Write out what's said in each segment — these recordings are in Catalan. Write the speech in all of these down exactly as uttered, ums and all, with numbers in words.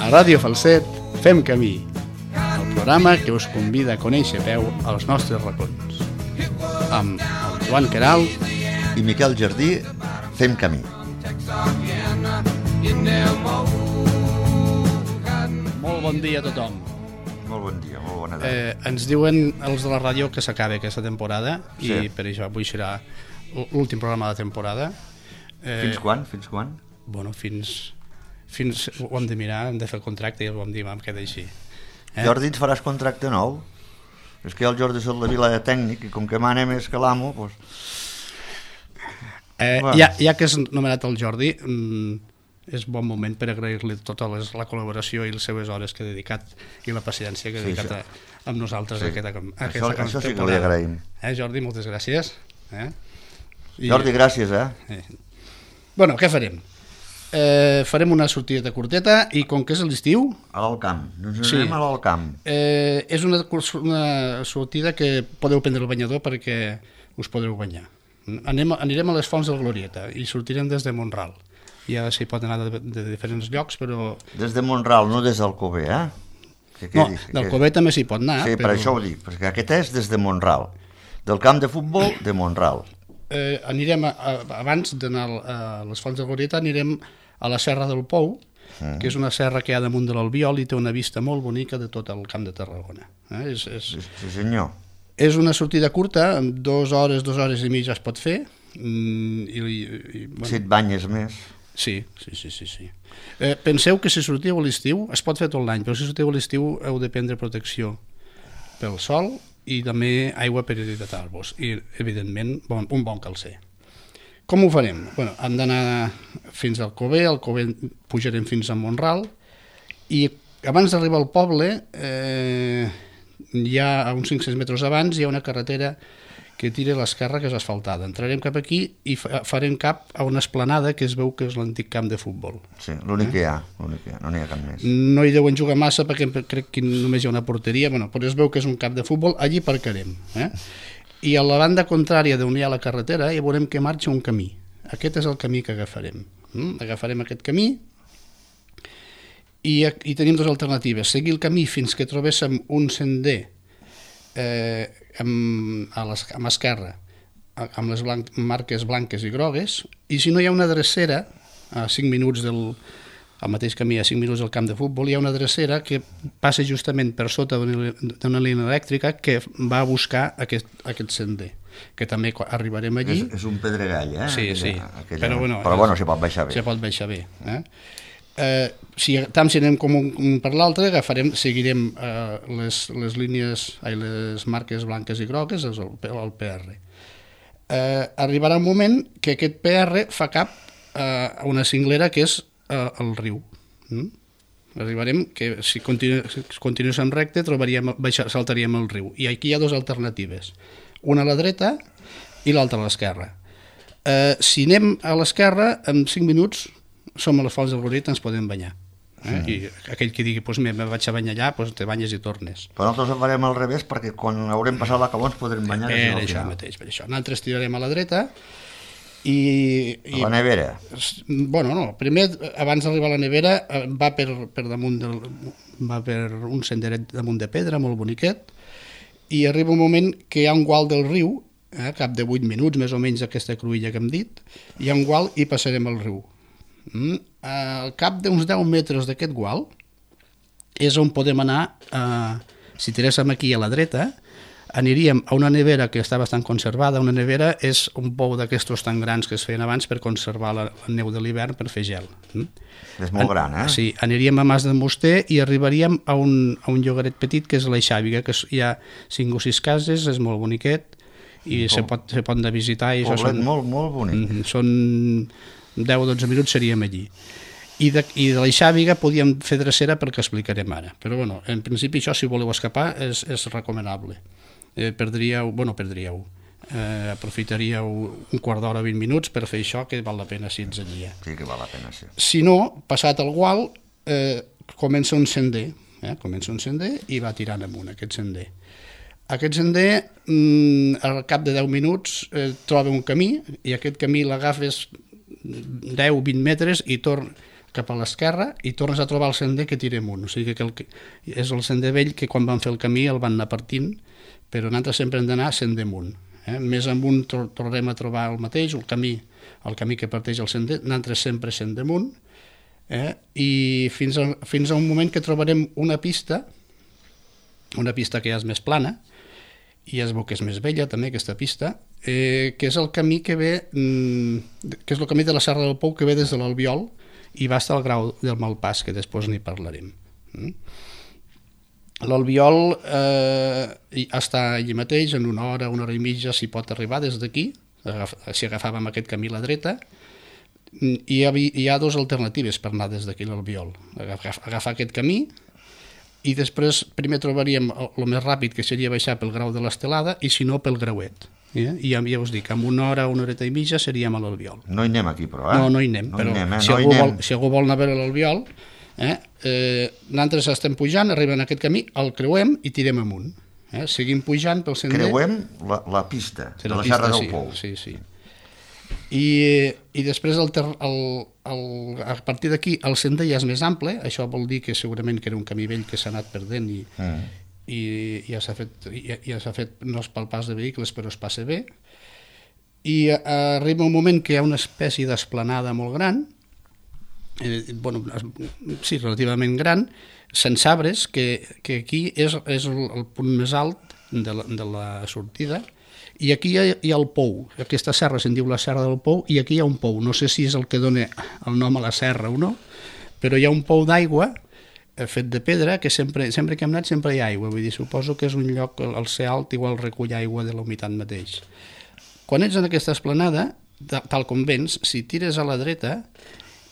A Ràdio Falset fem camí, el programa que us convida a conèixer a peu als nostres racons. Amb el Joan Queralt i Miquel Jardí fem camí. Molt bon dia a tothom. Molt bon dia, molt bona tarda. Eh, ens diuen els de la ràdio que s'acaba aquesta temporada Sí. i per això avui serà l'últim programa de temporada. Eh, Fins quan? Fins quan? Bueno, fins... fins ho hem de mirar, hem de fer el contracte i ho hem de dir, vam quedar així. Eh? Jordi, ens faràs contracte nou? És que jo el Jordi soc la vila de tècnic i com que mane més que l'amo, doncs... Eh, Bueno. ja, ja que és nomenat el Jordi, mm, és bon moment per agrair-li tota les, la col·laboració i les seves hores que ha dedicat i la paciència que ha Sí, dedicat sí. a, amb nosaltres Sí. a aquesta, a Això, aquesta això sí que li temporada. agraïm. Eh, Jordi, moltes gràcies. Eh? I, Jordi, gràcies, eh? eh. Bueno, què farem? Eh, farem una sortida curteta i com que és l'estiu, A l'Alt Camp. Ens Sí. anem a l'Alt Camp. eh, és una, curs- una sortida que podeu prendre el banyador perquè us podreu banyar. Anem, anirem a les Fonts del Glorieta i sortirem des de Montral. Ja s'hi pot anar de, de diferents llocs, però... Des de Montral, no des d'Alcover, eh? Que No, quedi, que del quedi. Covet també s'hi pot anar. Sí, per però, això ho dic, perquè aquest és des de Montral. Del camp de futbol de Montral. Eh, anirem, a, a, abans d'anar a les Fonts del Glorieta, anirem a la Serra del Pou, Mm. que és una serra que hi ha damunt de l'Albiol i té una vista molt bonica de tot el camp de Tarragona. Eh? És, és, Sí, sí, senyor. és una sortida curta, amb dues hores, dues hores i mitja es pot fer. Mm, i, i, i, bueno, Si et banyes més. Sí, sí, sí, sí, sí. Eh, penseu que si sortiu a l'estiu, es pot fer tot l'any, però si sortiu a l'estiu heu de prendre protecció pel sol i també aigua per hidratar-vos i, evidentment, bon, un bon calcer. Com ho farem? Bueno, hem d'anar fins al Cover, al Cover pujarem fins a Montral i abans d'arribar al poble, eh, hi ha a uns cinc-cents metres abans, hi ha una carretera que tira a l'esquerra que és asfaltada. Entrarem cap aquí i fa- farem cap a una esplanada que es veu que és l'antic camp de futbol. Sí, l'únic que hi ha, l'únic que hi ha, no n'hi ha cap més. No hi deuen jugar massa perquè crec que només hi ha una porteria, bueno, però es veu que és un camp de futbol, allí parcarem. Eh? I a la banda contrària d'on hi ha la carretera ja veurem que marxa un camí. Aquest és el camí que agafarem. Mm? Agafarem aquest camí i, i tenim dues alternatives. Seguir el camí fins que trobéssim un sender eh, amb, a l'es- amb esquerra amb les blanc, marques blanques i grogues, i si no hi ha una drecera a cinc minuts del al mateix camí, a cinc minuts del camp de futbol, hi ha una drecera que passa justament per sota d'una d'una línia elèctrica que va a buscar aquest, aquest sender, que també quan arribarem allí. És, és un pedregall, eh? Sí, sí, Aquella... però bueno, però bueno, s'hi pot baixar bé. Se pot baixar bé. Eh? Eh, si tant si anem com un, un per l'altre, agafarem, seguirem eh, les, les línies, ai, les marques blanques i grogues, és el, el P R. Eh, arribarà un moment que aquest P R fa cap eh, a una cinglera que és eh, el riu. Mm? Arribarem que si, continu, si continuéssim recte trobaríem, baixar, saltaríem el riu. I aquí hi ha dues alternatives. Una a la dreta i l'altra a l'esquerra. Eh, si anem a l'esquerra, en cinc minuts som a les Fonts del Glorieta, ens podem banyar. Eh? I aquell que digui, pues, me vaig a banyar allà, pues, te banyes i tornes. Però nosaltres ho farem al revés perquè quan haurem passat l'acabó ens podrem banyar. Per al això final. mateix, per això. Nosaltres tirarem a la dreta i... i A la nevera. bueno, no, primer, abans d'arribar a la nevera, eh, va per, per damunt del, va per un senderet damunt de pedra, molt boniquet, i arriba un moment que hi ha un gual del riu, eh, cap de vuit minuts, més o menys aquesta cruïlla que hem dit, hi ha un gual i passarem el riu. Mm, al cap d'uns deu metres d'aquest gual és on podem anar, eh, si tiréssim aquí a la dreta, aniríem a una nevera que està bastant conservada. Una nevera és un pou d'aquestos tan grans que es feien abans per conservar la, la neu de l'hivern per fer gel. Mm? És molt gran, eh? Sí, aniríem a Mas de Muster i arribaríem a un, a un llogaret petit que és l'Eixàviga, que és, hi ha cinc o sis cases, és molt boniquet i Un se po- pot, se pot anar a visitar. I això Poblet són, molt, molt bonic. mm, són deu o dotze minuts seríem allí. I de, i de l'Eixàviga podíem fer drecera perquè explicarem ara. Però bueno, en principi això, si voleu escapar, és, és recomanable. Eh, perdríeu, bueno, perdríeu, eh, aprofitaríeu un quart d'hora, vint minuts per fer això, que val la pena si ets allí. Eh? Sí que val la pena, sí. Si no, passat el gual, eh, comença un sender, eh? comença un sender i va tirant amunt aquest sender. Aquest sender, mm, al cap de deu minuts, eh, troba un camí i aquest camí l'agafes deu o vint metres i torn, cap a l'esquerra i tornes a trobar el sender que tira amunt. O sigui que el, és el sender vell que quan van fer el camí el van anar partint, però nosaltres sempre hem d'anar sender amunt. Eh? Més amunt tornarem a trobar el mateix, el camí, el camí que parteix el sender, nosaltres sempre sender amunt, eh? I fins a, fins a un moment que trobarem una pista, una pista que ja és més plana, i es veu que és més vella també aquesta pista, eh, que és el camí que ve, mm, que és el camí de la Serra del Pou que ve des de l'Albiol i va estar al Grau del Malpàs, que després n'hi parlarem. Mm? L'Albiol eh, està allí mateix, en una hora, una hora i mitja s'hi pot arribar des d'aquí, si agafàvem aquest camí a la dreta, i hi ha, hi ha dues alternatives per anar des d'aquí a l'Albiol. Agafar aquest camí, i després primer trobaríem el més ràpid, que seria baixar pel Grau de l'Estelada, i si no pel Grauet. Eh? I ja, ja us dic, en una hora, una horeta i mitja seríem a l'Albiol. No hi anem aquí, però, eh? No, no hi anem, no però hi anem, eh? si, no algú hi vol, anem. si algú vol anar a veure l'Albiol, eh? Eh, nosaltres estem pujant, arribem a aquest camí, el creuem i tirem amunt. Eh? Seguim pujant pel sender. Creuem la, la pista Sí, de la la pista, Serra del sí, Pou. Sí, sí. I, i després el, ter, el, el, a partir d'aquí el sender ja és més ample, això vol dir que segurament que era un camí vell que s'ha anat perdent i, mm. i, i ja s'ha fet, ja, ja s'ha fet, no és pel pas de vehicles però es passa bé, i a, arriba un moment que hi ha una espècie d'esplanada molt gran, eh, bueno, sí, relativament gran, sense arbres, que, que aquí és, és el, el punt més alt de la, de la sortida. I aquí hi ha, hi ha el pou, aquesta serra se'n diu la Serra del Pou, i aquí hi ha un pou, no sé si és el que dona el nom a la serra o no, però hi ha un pou d'aigua fet de pedra, que sempre, sempre que hem anat sempre hi ha aigua, vull dir, suposo que és un lloc, al ser alt igual recull aigua de la humitat mateix. Quan ets en aquesta esplanada, tal com vens, si tires a la dreta,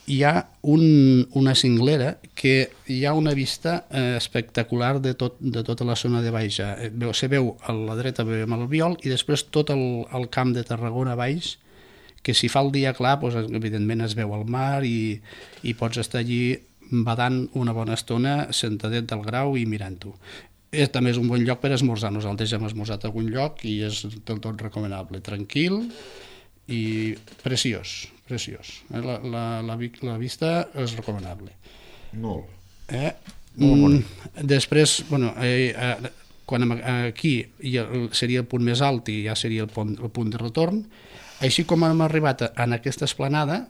hi ha un, una cinglera que hi ha una vista eh, espectacular de, tot, de tota la zona de baix. Eh, se veu a la dreta veiem l'Albiol i després tot el, el camp de Tarragona a baix, que si fa el dia clar, doncs, evidentment es veu el mar i, i pots estar allí badant una bona estona sentadet del Grau i mirant-ho. És, també és un bon lloc per esmorzar. Nosaltres ja hem esmorzat a algun lloc i és del tot recomanable. Tranquil i preciós, preciós. La, la, la, la vista és recomanable. Molt. Eh? Molt bonic. Mm, després, bueno, eh, eh, quan aquí seria el punt més alt i ja seria el punt, el punt de retorn, així com hem arribat en aquesta esplanada,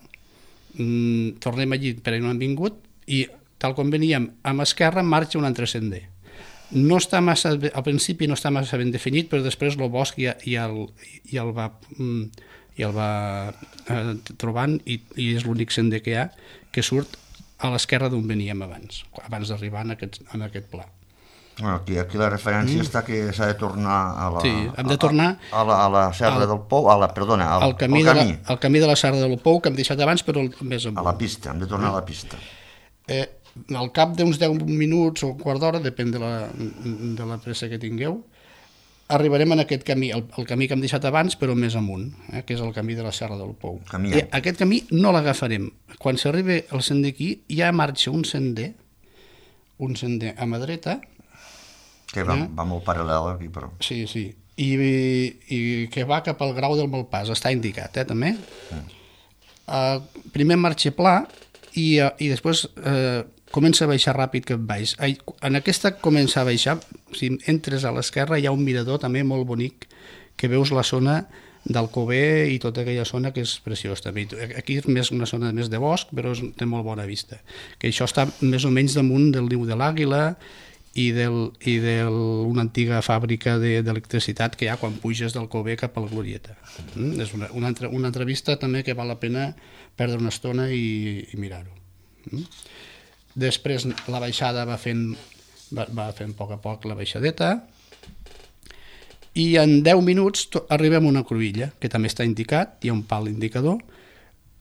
mm, tornem allí per on hem vingut i tal com veníem a l'esquerra marxa un altre sender. No està massa, al principi no està massa ben definit, però després el bosc ja, ja, el, ja el va... Mm, i el va eh, trobant i, i és l'únic sender que hi ha que surt a l'esquerra d'on veníem abans, abans d'arribar en aquest, en aquest pla. Bueno, aquí, aquí la referència mm. està que s'ha de tornar a la, sí, hem de tornar a, a, la, a la Serra al, del Pou, a la, perdona, al, al camí, al camí. De la, al camí de la Serra del Pou que hem deixat abans, però més amunt. A la pista, hem de tornar mm. a la pista. Eh, al cap d'uns deu minuts o un quart d'hora, depèn de la, de la pressa que tingueu, arribarem en aquest camí, el, el camí que hem deixat abans, però més amunt, eh, que és el camí de la Serra del Pou. I aquest camí no l'agafarem. Quan s'arriba al sender aquí, ja marxa un sender, un sender a mà dreta, que va, eh? va molt paral·lel aquí, però... Sí, sí, i, i que va cap al Grau del Malpàs, està indicat, eh, també. Mm. Uh, primer marxa pla i, uh, i després... Uh, comença a baixar ràpid cap baix. En aquesta comença a baixar, si entres a l'esquerra hi ha un mirador també molt bonic que veus la zona d'Alcover i tota aquella zona que és preciós també. Aquí és més una zona més de bosc, però és, té molt bona vista. Que això està més o menys damunt del niu de l'Àguila i d'una antiga fàbrica d'electricitat que hi ha quan puges d'Alcover cap a la Glorieta. Mm? És una, una, altra, una altra vista també que val la pena perdre una estona i, i mirar-ho. Mm? Després la baixada va fent, va, va fent a poc a poc la baixadeta i en deu minuts to, arribem a una cruïlla, que també està indicat, hi ha un pal indicador.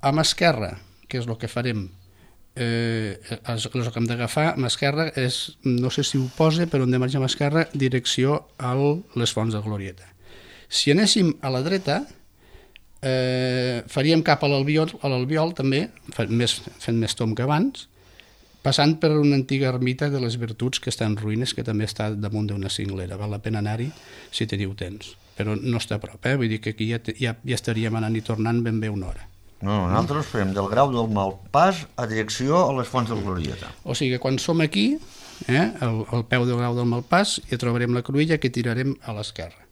A mà esquerra, que és el que farem, eh, el que hem d'agafar, a mà esquerra és, no sé si ho posa, però hem de marxar a mà esquerra, direcció a les Fonts de Glorieta. Si anéssim a la dreta, eh, faríem cap a l'Albiol, a l'Albiol també, fent més, fent més tom que abans, passant per una antiga ermita de les Virtuts que està en ruïnes, que també està damunt d'una cinglera. Val la pena anar-hi si teniu temps, però no està a prop, eh? Vull dir que aquí ja, ja, ja estaríem anant i tornant ben bé una hora. No, nosaltres fem del Grau del Malpàs a direcció a les Fonts del Glorieta. O sigui que quan som aquí, eh, al, al peu del Grau del Malpàs, hi trobarem la cruïlla que tirarem a l'esquerra.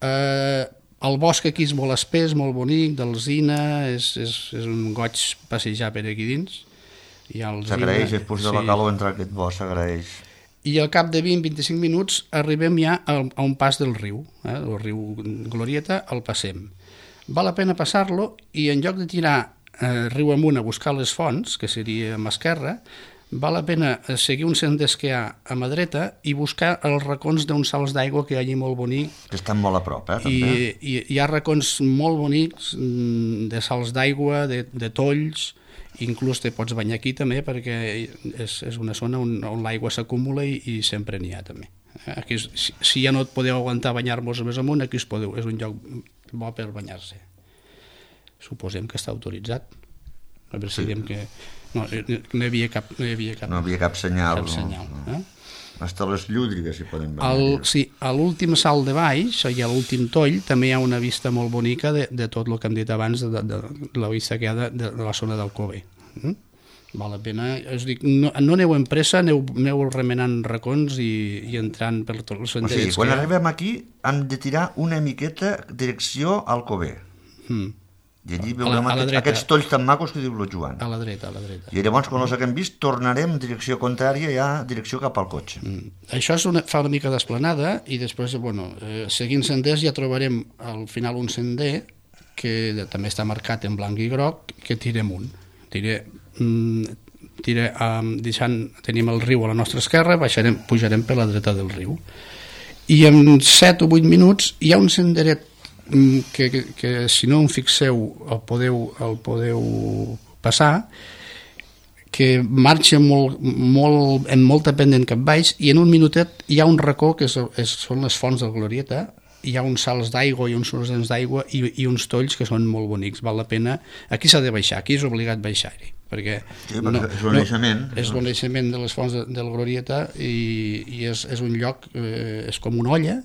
Eh, el bosc aquí és molt espès, molt bonic, d'alzina, és, és, és un goig passejar per aquí dins. S'agraeix, després de la calor entrar a aquest bosc, s'agraeix. I al cap de vint a vint-i-cinc minuts arribem ja a, a un pas del riu, eh, el riu Glorieta, el passem. Val la pena passar-lo i en lloc de tirar eh, riu amunt a buscar les fonts, que seria a mà esquerra, val la pena seguir un sender que hi ha a mà dreta i buscar els racons d'uns salts d'aigua que hi ha allí molt bonic. Que estan molt a prop, eh, també. I, i hi ha racons molt bonics de salts d'aigua, de, de tolls, inclús te pots banyar aquí també perquè és, és una zona on, on l'aigua s'acumula i, i sempre n'hi ha també. Aquí, si, si ja no et podeu aguantar banyar-vos més amunt, aquí us podeu, és un lloc bo per banyar-se. Suposem que està autoritzat. A veure si sí. Diem que no, no hi havia cap, no hi havia cap, no havia cap senyal. Cap senyal no, no. Eh? Hasta les llúdrigues s'hi poden banyar. El, sí, a l'últim salt de baix, i a l'últim toll, també hi ha una vista molt bonica de, de tot el que hem dit abans, de, de, de la vista que hi ha de, de, de la zona del Cove. Mm? Val la pena, us dic, no, no aneu en pressa, aneu, aneu remenant racons i, i entrant per tots els senderets. O sigui, quan arribem aquí hem de tirar una miqueta direcció al Cove. Mm. I allí veurem a la, a aquests tolls tan macos que diu el Joan. A la dreta, a la dreta. I llavors, quan els haguem vist, tornarem en direcció contrària, ja direcció cap al cotxe. Mm. Això és una, fa una mica d'esplanada i després, bueno, eh, seguint senders ja trobarem al final un sender que també està marcat en blanc i groc, que tira amunt. Tira... Tira, um, deixant, tenim el riu a la nostra esquerra, baixarem, pujarem per la dreta del riu i en set o vuit minuts hi ha un senderet que, que, que si no en fixeu el podeu, el podeu passar, que marxa molt, molt, en molta pendent cap baix i en un minutet hi ha un racó que és, és, són les fonts del Glorieta, hi ha uns salts d'aigua i uns sorgents d'aigua i, i uns tolls que són molt bonics, val la pena. Aquí s'ha de baixar, aquí és obligat baixar-hi, perquè, sí, perquè no, és un naixement. No, és un naixement de les fonts de, del Glorieta i, i és, és un lloc, eh, és com una olla,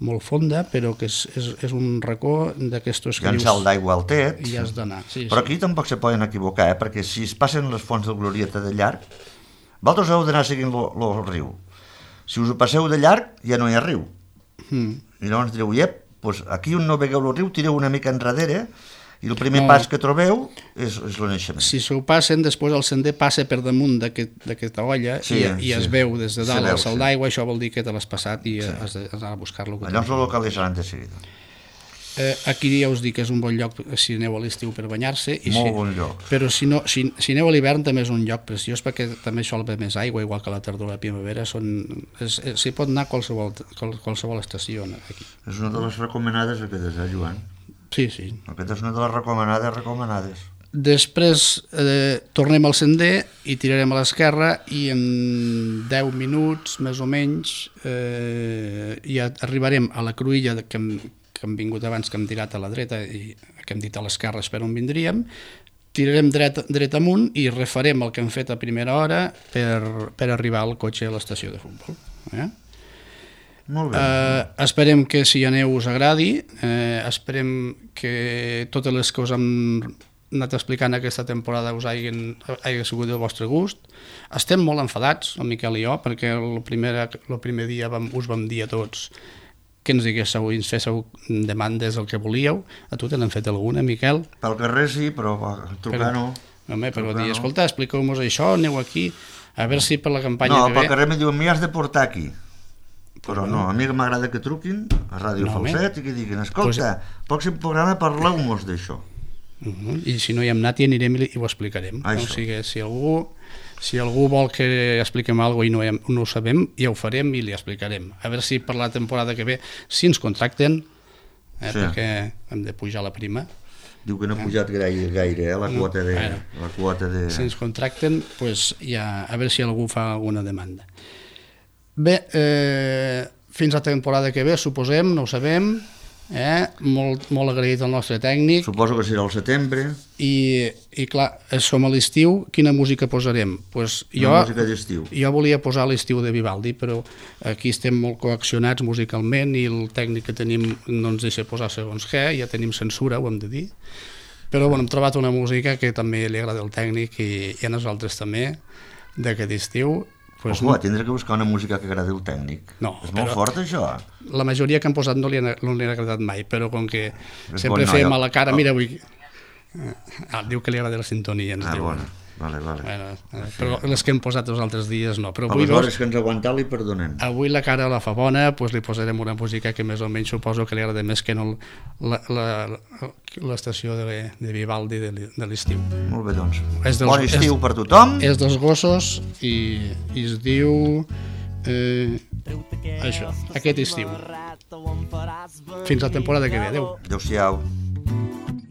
molt fonda, però que és, és, és un racó d'aquestos que hi ha un salt d'aigua al tet, i has d'anar. Sí, però sí. Aquí tampoc se poden equivocar, eh? Perquè si es passen les fonts del Glorieta de llarg, vosaltres heu d'anar seguint el riu. Si us ho passeu de llarg, ja no hi ha riu. Mm. I llavors direu, iep, doncs aquí on no vegueu el riu, tireu una mica enrere i el primer no. pas que trobeu és, és el naixement. Si s'ho passen, després el sender passa per damunt d'aquesta olla sí, i, i sí. es veu des de dalt el salt sí. d'aigua, això vol dir que te l'has passat i sí. has d'anar a buscar-lo. Llavors el localitzaran de seguida. Eh, aquí ja us dic que és un bon lloc si aneu a l'estiu per banyar-se. Molt si, bon lloc. Però si, no, si, si aneu a l'hivern també és un lloc preciós perquè també sol haver més aigua, igual que la tardor i la primavera. S'hi pot anar a qualsevol, qualsevol estació aquí. És una de les recomanades aquestes, eh, Joan? Sí, sí. Aquesta és una de les recomanades recomanades. Després eh, tornem al sender i tirarem a l'esquerra i en deu minuts, més o menys, eh, ja arribarem a la cruïlla que hem, que hem vingut abans, que hem tirat a la dreta i que hem dit a l'esquerra per on vindríem, tirarem dret, dret amunt i refarem el que hem fet a primera hora per, per arribar al cotxe a l'estació de futbol. Eh? Molt bé. Eh, esperem que si aneu us agradi, eh, esperem que totes les que us hem anat explicant aquesta temporada us hagin, hagi sigut del vostre gust. Estem molt enfadats, el Miquel i jo, perquè el primer, el primer dia vam, us vam dir a tots que ens diguéssiu i ens féssiu demandes el que volíeu. A tu te n'han fet alguna, Miquel? Pel carrer sí, però trucar però, no. Home, però dir, escolta, expliqueu-nos això, aneu aquí, a veure si per la campanya no, que ve... No, pel carrer me diuen, m'hi has de portar aquí. Però no, a mi m'agrada que truquin a Ràdio no, Falset i que diguin, escolta, pues... pròxim programa parleu-nos d'això. Uh -huh. I si no hi hem anat hi anirem i ho explicarem. No? O sigui, si algú, si algú vol que expliquem alguna cosa i no, hem, no ho sabem, ja ho farem i li explicarem. A veure si per la temporada que ve, si ens contracten, eh, sí. perquè hem de pujar la prima. Diu que no ha pujat gaire, gaire eh, la, no, quota de, bueno, la quota de... Si ens contracten, pues, ja, a veure si algú fa alguna demanda. Bé, eh, fins a la temporada que ve, suposem, no ho sabem, eh? molt, molt agraït al nostre tècnic. Suposo que serà al setembre. I, i clar, som a l'estiu, quina música posarem? Pues jo, Una música d'estiu. Jo volia posar l'estiu de Vivaldi, però aquí estem molt coaccionats musicalment i el tècnic que tenim no ens deixa posar segons què, ja tenim censura, ho hem de dir. Però bueno, hem trobat una música que també li agrada al tècnic i, i a nosaltres també, d'aquest estiu. Pues, Ojo, tindré que buscar una música que agradi al tècnic. No, és molt fort, això. La majoria que han posat no li han, no li han agradat mai, però com que és sempre bon fem noi, a la cara, oh. mira, avui... Ah, diu que li agrada la sintonia, ens ah, diu. Bueno. Vale, vale. Bueno, eh, però les que hem posat els altres dies no. Però avui, aleshores que ens aguantar li perdonem. Avui la cara la fa bona, doncs li posarem una música que més o menys suposo que li agrada més que no l'estació de, de Vivaldi de l'estiu. Molt bé, doncs. Dels, bon estiu és, per tothom. És dels gossos i, i es diu... Eh, això, aquest estiu. Fins la temporada que ve. Adéu. Adéu-siau.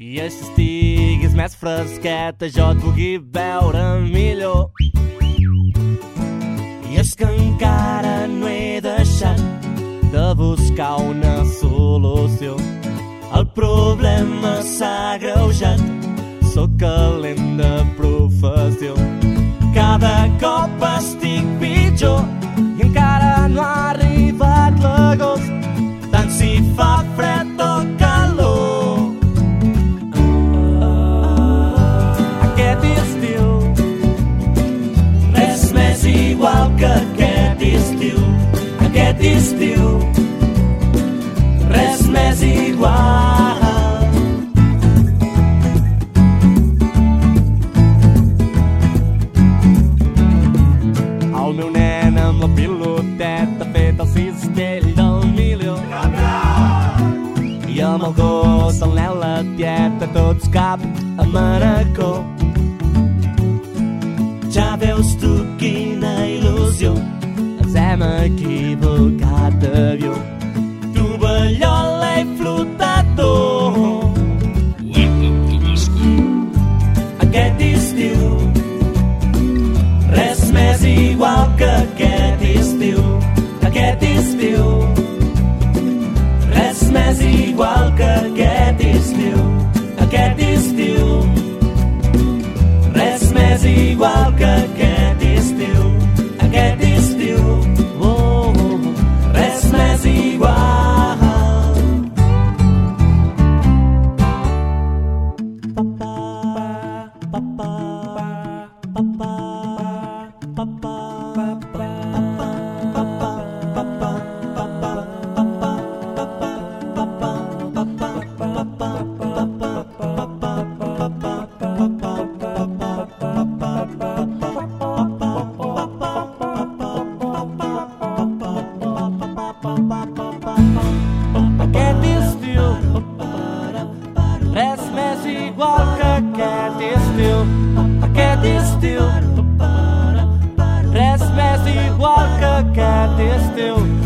I així estiguis més fresqueta, jo et pugui veure millor. I és que encara no he deixat de buscar una solució. El problema s'ha agreujat, sóc calent de professió. Cada cop estic pitjor i encara no ha arribat l'agost, tant si fa fred o calor. Igual que aquest estiu, aquest estiu, res més igual. El meu nen amb la piloteta ha fet el cistell del milió. I amb el gos, el nen, la tieta, tots cap a Manacor. Ja veus tu quina il·lusió, ens hem equivocat d'avió. Tovallola i flotador. Aquest estiu, res més igual que aquest estiu. Aquest estiu, res més igual que aquest estiu. Aquest estiu, res més igual que aquest estiu, aquest estiu, oh, oh, res més igual. Aquest estiu, res més igual que aquest estiu. Aquest estiu, res més igual que aquest estiu.